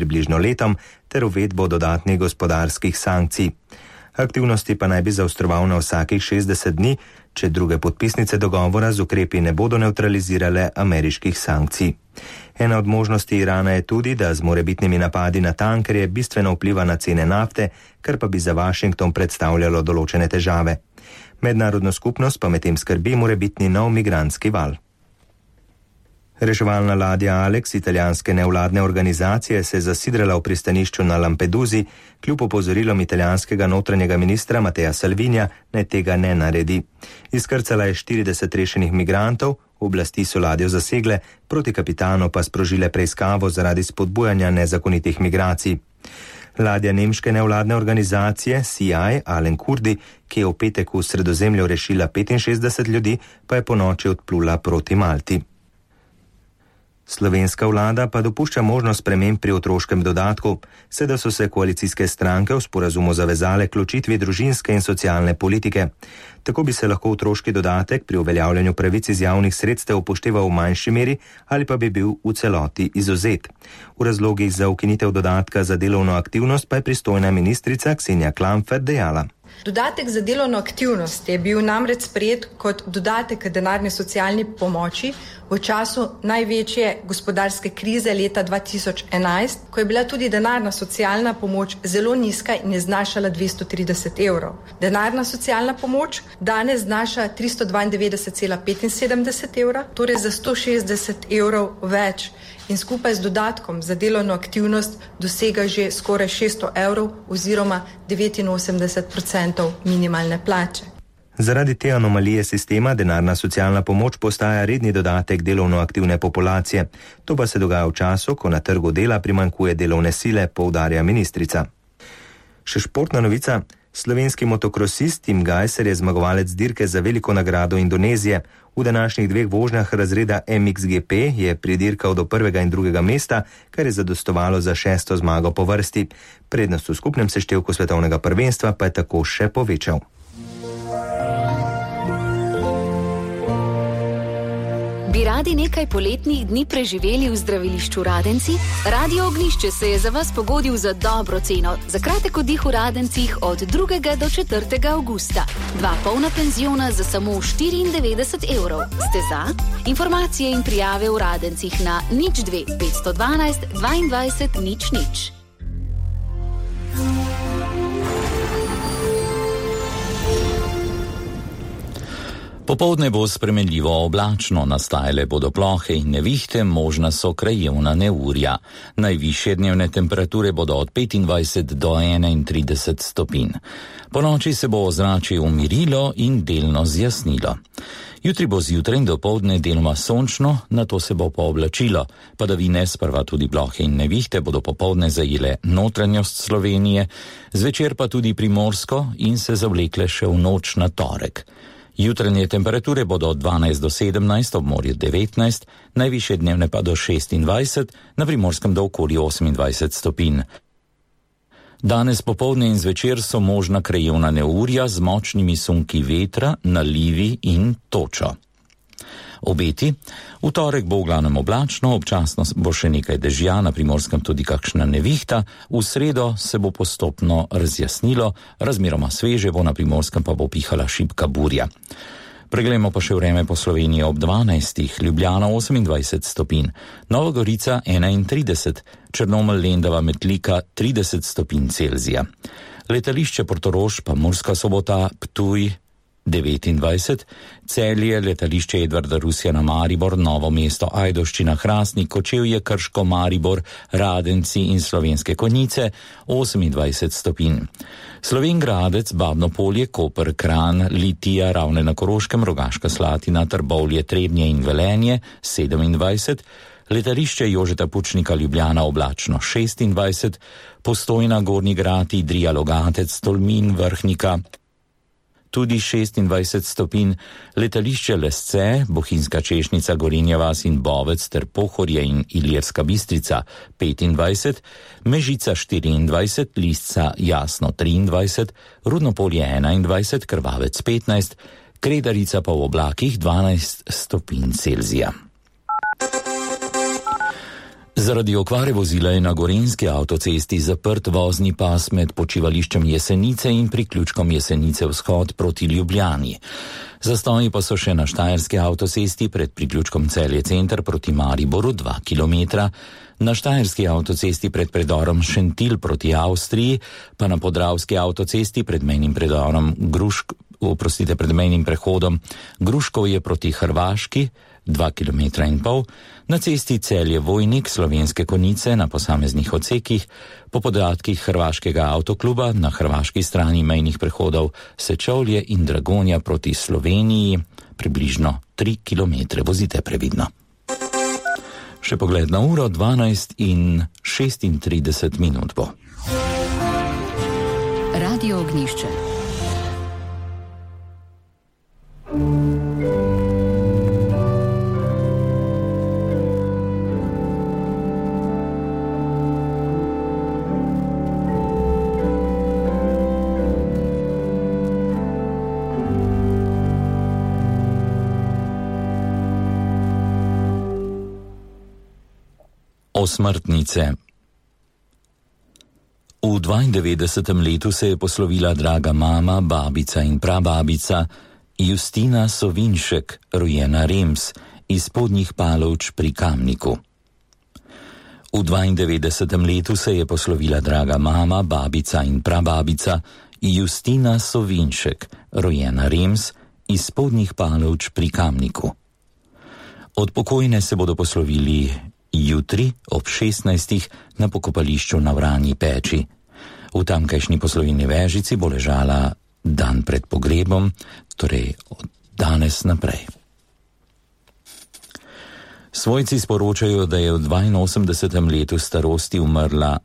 približno letom ter uvedbo dodatnih gospodarskih sankcij. Aktivnosti pa naj bi zaostroval na vsakih 60 dni, če druge podpisnice dogovora z ukrepi ne bodo neutralizirale ameriških sankcij. Ena od možnosti Irana je tudi, da z morebitnimi napadi na tankerje bistveno vpliva na cene nafte, kar pa bi za Washington predstavljalo določene težave. Mednarodno skupnost pa medtem skrbi morebitni nov migrantski val. Reševalna ladja Alex italijanske nevladne organizacije se je zasidrala v pristanišču na Lampedusi, kljub opozorilom italijanskega notranjega ministra Mattea Salvinija, naj tega ne naredi. Izkrcala je 40 rešenih migrantov, oblasti so ladjo zasegle, proti kapitanu pa sprožile preiskavo zaradi spodbujanja nezakonitih migracij. Ladja nemške nevladne organizacije CI Alen Kurdi, ki je v petek v Sredozemlju rešila 65 ljudi, pa je ponoči odplula proti Malti. Slovenska vlada pa dopušča možnost sprememb pri otroškem dodatku, sedaj so se koalicijske stranke v sporazumu zavezale k ločitvi družinske in socialne politike. Tako bi se lahko otroški dodatek pri uveljavljanju pravic iz javnih sredstev upošteval v manjši meri ali pa bi bil v celoti izvzet. V razlogih za ukinitev dodatka za delovno aktivnost pa je pristojna ministrica Ksenija Klampfer dejala. Dodatek za delovno aktivnost je bil namreč sprejet kot dodatek k denarni socialni pomoči v času največje gospodarske krize leta 2011, ko je bila tudi denarna socialna pomoč zelo nizka in je znašala 230 evrov. Denarna socialna pomoč danes znaša 392,75 evra, torej za 160 evrov več. In skupaj z dodatkom za delovno aktivnost dosega že skoraj 600 evrov oziroma 89% minimalne plače. Zaradi te anomalije sistema denarna socialna pomoč postaja redni dodatek delovno aktivne populacije. To pa se dogaja v času, ko na trgu dela primanjkuje delovne sile, poudarja ministrica. Še športna novica. Slovenski motokrosist Tim Gajser je zmagovalec dirke za veliko nagrado Indonezije. V današnjih dveh vožnjah razreda MXGP je pridirkal do prvega in drugega mesta, kar je zadostovalo za 6. zmago po vrsti. Prednost v skupnem seštevku svetovnega prvenstva pa je tako še povečal. Bi radi nekaj poletnih dni preživeli v zdravilišču Radenci? Radio Ognjišče se je za vas pogodil za dobro ceno. Za kratek oddih v Radencih od 2. do 4. avgusta. 2 polna penziona za samo 94 evrov. Ste za? Informacije in prijave v Radencih na 02 512 22 00. Popoldne bo spremenljivo oblačno, nastajale bodo plohe in nevihte, možna so krajevna neurja. Najvišje dnevne temperature bodo od 25 do 31 stopinj. Ponoči se bo ozračje umirilo in delno zjasnilo. Jutri bo zjutraj in dopoldne deloma sončno, nato se bo pooblačilo. Padavine, sprva tudi plohe in nevihte, bodo popoldne zajele notranjost Slovenije, zvečer pa tudi Primorsko in se zavlekle še v noč na torek. Jutranje temperature bodo od 12 do 17, ob morju 19, najvišje dnevne pa do 26, na Primorskem do okoli 28 stopinj. Danes popoldne in zvečer so možna krajevna neurja z močnimi sunki vetra, nalivi in točo. Obeti. V torek bo v glavnem oblačno, občasno bo še nekaj dežja, na Primorskem tudi kakšna nevihta, v sredo se bo postopno razjasnilo, razmeroma sveže bo, na Primorskem pa bo pihala šibka burja. Preglejmo pa še vreme po Sloveniji ob 12. Ljubljana 28 stopinj, Nova Gorica 31, Črnomelj, Lendava, Metlika 30 stopinj Celzija. Letališče Portorož pa Murska Sobota, Ptuj 29, Celje, letališče Edvarda Rusjana Maribor, Novo mesto, Ajdovščina, Hrastnik, Kočevje, Krško, Maribor, Radenci in Slovenske Konjice 28 stopinj. Slovenj Gradec, Babno Polje, Koper, Kranj, Litija, Ravne na Koroškem, Rogaška Slatina, Trbovlje, Trebnje in Velenje 27, letališče Jožeta Pučnika Ljubljana oblačno 26, Postojna, Gornji Grad, Idrija, Logatec, Tolmin, Vrhnika tudi 26 stopinj, letališče Lesce, Bohinjska Češnica, Gorenja vas in Bovec ter Pohorje in Ilirska Bistrica 25, Mežica 24, Lisca Jasno 23, Rudnopolje 21, Krvavec 15, Kredarica pa v oblakih 12 stopinj Celzija. Zaradi okvare vozila je na Gorenjski avtocesti zaprt vozni pas med počivališčem Jesenice in priključkom Jesenice vzhod proti Ljubljani. Zastoji pa so še na Štajerski avtocesti pred priključkom Celje center proti Mariboru 2 km, na Štajerski avtocesti pred predorom Šentilj proti Avstriji, pa na Podravski avtocesti pred mejnim prehodom Gruškovje proti Hrvaški 2,5 km, na cesti Celje-Vojnik Slovenske Konjice na posameznih odsekih, po podatkih Hrvaškega avtokluba na hrvaški strani mejnih prehodov Sečovlje in Dragonja proti Sloveniji približno 3 km. Vozite previdno. Še pogled na uro, 12:36 bo. Radio Ognjišče. Osmrtnice. V 92. letu se je poslovila draga mama, babica in prababica Justina Sovinšek, rojena Rems, iz Spodnjih Palovč pri Kamniku. V 92. letu se je poslovila draga mama, babica in prababica Justina Sovinšek, rojena Rems, iz Spodnjih Palovč pri Kamniku. Od pokojne se bodo poslovili jutri ob 16. na pokopališču na Vranji Peči. V tamkajšnji poslovilni Vežici bo ležala dan pred pogrebom, torej od danes naprej. Svojci sporočajo, da je v 82. letu starosti umrla